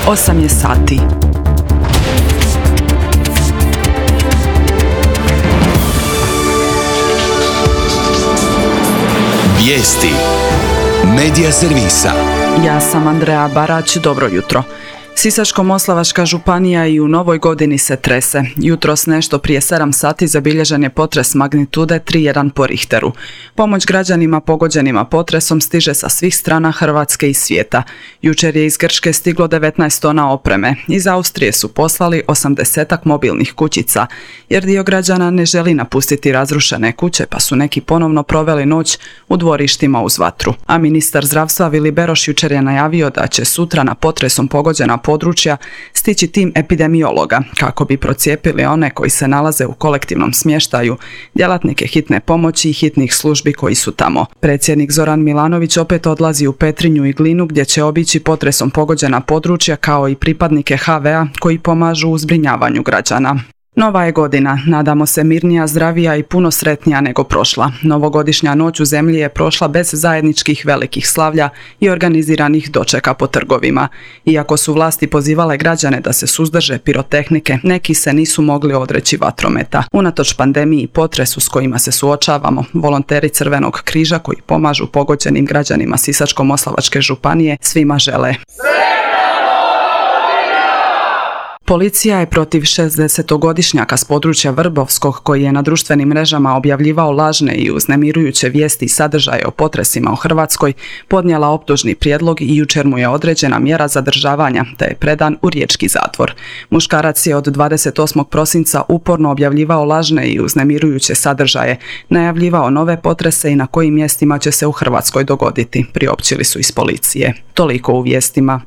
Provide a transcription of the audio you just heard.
8 je sati. Vijesti Medija servisa. Ja sam Andrea Barać, dobro jutro. Sisačko-moslavačka županija i u novoj godini se trese. Jutros nešto prije 7 sati zabilježen je potres magnitude 3,1 po Richteru. Pomoć građanima pogođenima potresom stiže sa svih strana Hrvatske i svijeta. Jučer je iz Grčke stiglo 19 tona opreme. Iz Austrije su poslali 80 mobilnih kućica, jer dio građana ne želi napustiti razrušene kuće, pa su neki ponovno proveli noć u dvorištima uz vatru. A ministar zdravstva Vili Beroš jučer je najavio da će sutra na potresom pogođena područja stići tim epidemiologa kako bi procijepili one koji se nalaze u kolektivnom smještaju, djelatnike hitne pomoći i hitnih službi koji su tamo. Predsjednik Zoran Milanović opet odlazi u Petrinju i Glinu gdje će obići potresom pogođena područja kao i pripadnike HV-a koji pomažu u zbrinjavanju građana. Nova je godina, nadamo se mirnija, zdravija i puno sretnija nego prošla. Novogodišnja noć u zemlji je prošla bez zajedničkih velikih slavlja i organiziranih dočeka po trgovima. Iako su vlasti pozivale građane da se suzdrže pirotehnike, neki se nisu mogli odreći vatrometa. Unatoč pandemiji i potresu s kojima se suočavamo, volonteri Crvenog križa koji pomažu pogođenim građanima Sisačko-moslavačke županije svima žele. Policija je protiv 60-godišnjaka s područja Vrbovskog koji je na društvenim mrežama objavljivao lažne i uznemirujuće vijesti i sadržaje o potresima u Hrvatskoj podnijela optužni prijedlog i jučer mu je određena mjera zadržavanja te je predan u riječki zatvor. Muškarac je od 28. prosinca uporno objavljivao lažne i uznemirujuće sadržaje, najavljivao nove potrese i na kojim mjestima će se u Hrvatskoj dogoditi, priopćili su iz policije. Toliko u vijestima.